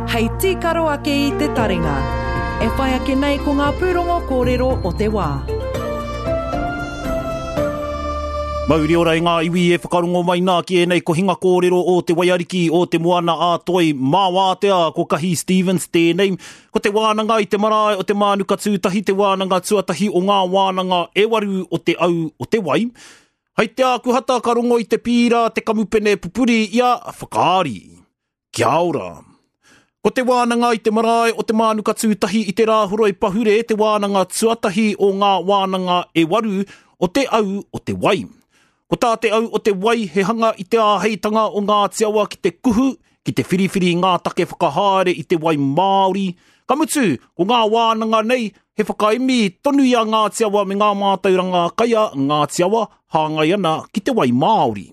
Hei tīkaro ake i te taringa. E whai ake nei ko ngā pūrongo kōrero o te wā. Mauri ora i ngā iwi e whakarongo mai nā ki ēnei kohinga kōrero o Te Waiariki o Te Moana a Toi mā wātea ko Kahi Stevens tēnei. Ko te wānanga i te marae o Te Mānuka Tūtahi te wānanga tuatahi o ngā wānanga e waru o te au o te wai. Hei te Ākuhata ka rongo i te pīra te kamupene pupuri i a Whakaari. Kia ora. Ko te wānanga i te marae o Te Mānuka Tūtahi i te Rāhoroi Pahure te wānanga tuatahi o ngā wānanga e waru o te au o te wai. Ko tā te au o te wai he hanga i te āheitanga o Ngāti Awa ki te kuhu, ki te whiriwhiri i ngā take whakahaere i te wai māori. Ka mutu, ko ngā wānanga nei he whakaemi tonu i a Ngāti Awa me ngā mātauranga kai a Ngāti Awa hāngai ana ki te wai māori.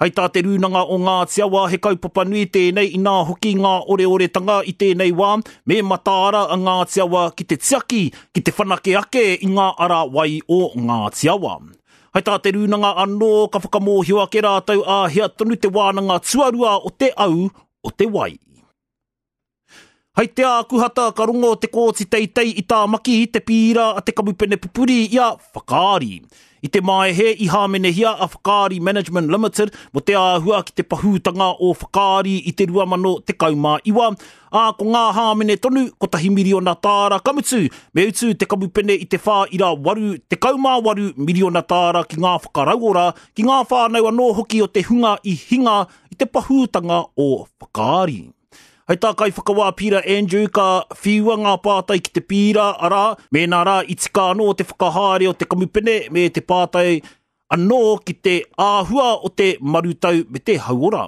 Hei tā Te Rūnanga o Ngāti Awa he kaupapa nui tēnei inā hoki ngā oreoretanga i tēnei wā me mataara a Ngāti Awa ki te tiaki, ki te whanake ake i ngā ara wai o Ngāti Awa. Hei tā Te Rūnanga anō ka whakamōhio ake rātou āhea tonu te wānanga tuarua o te au o te wai. Hei te Ākuhata ka rongo te Kōti Teitei i Tāmaki i te pīra a te kamupene pupuri i a Whakaari. I te Maehe i hāmenehia a Whakaari Management Limited mō te āhua ki te pahūtanga o Whakaari i te 2019, ā, ko ngā hāmene tonu, kotahi miriona tāra, ka mutu, me utu te kamupene i te 4.88 miriona tāra ki ngā whakarauora, ki ngā whānau anō hoki o te hunga i hinga i te pahūtanga o Whakaari. Hei tā Kaiwhakawā Peter Andrew ka whiua ngā pātai ki te pīra, arā, mēnā rā i tika anō te whakahaere o te kamupene me te pātai anō ki te āhua o te marutau me te hauora.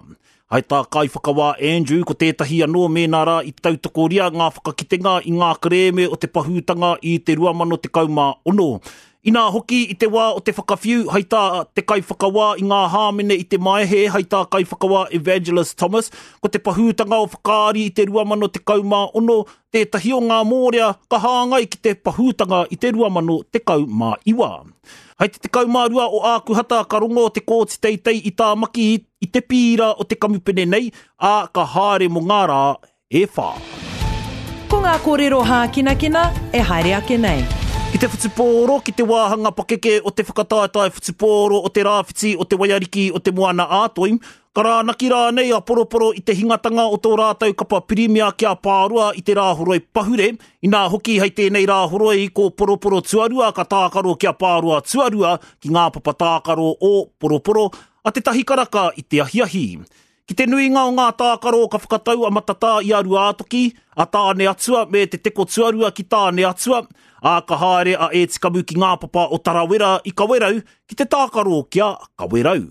Hai tā Kaiwhakawā Andrew, ko tētahi anō mēnā rā i tautokoria ngā whakakitenga i ngā kerēme o te pahūtanga i te 2016. Inā hoki i te wā o te whakawhiu, hai tā te kaiwhakawā i ngā hāmene i te Maehe, hai tā Kaiwhakawā Evangelist Thomas, ko te pahūtanga o Whakaari i te 2016 tētahi o ngā mōrea ka hāngai ki te pahūtanga i te 2019. Hai te 12 o Ākuhata ka rongo te Kōti Teitei i Tāmaki i te pīra o te kamupene nei, ā, ka haere mō ngā rā e whā. Ko ngā kōrero hākinakina e haere ake nei. Ki te whutupōro, ki te wāhanga pakeke o te whakataetae whutupōro o te Rāwhiti o Te Waiariki o Te Moana-a-Toi, Ka rānaki rānei a Poroporo i te hingatanga o tō rātou kapa pirimia ki a Pāroa i te Rāhoroi pahure, inā hoki hei tēnei Rāhoroi ko Poroporo tuarua ka tākaro ki a Pāroa tuarua ki ngā papa tākaro o Poroporo a te tahi karaka i te ahiahi. Ki te nuinga o ngā tākaro ka whakatau a Matatā i a Ruātoki, a Tāneatua me te teko tuarua ki Tāneatua, ā, ka haere a Ētikamu ki ngā papa o Tarawera i Kawerau ki te tākaro ki a Kawerau.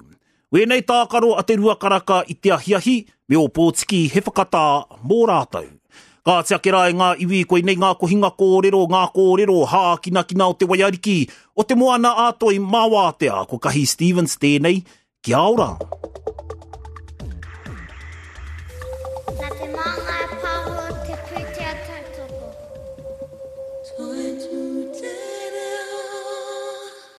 Wēnei tākaro a te Ruakaraka i te ahiahi, me Ōpōtiki he whakatā mō rātou. Kāti ake rā e ngā iwi, koinei ngā kohinga kōrero, ngā kōrero hākinakina o te waiariki, o te moana a Toi mā wātea, ko Kahi Stevens tēnei, kia ora! Nā te māngai.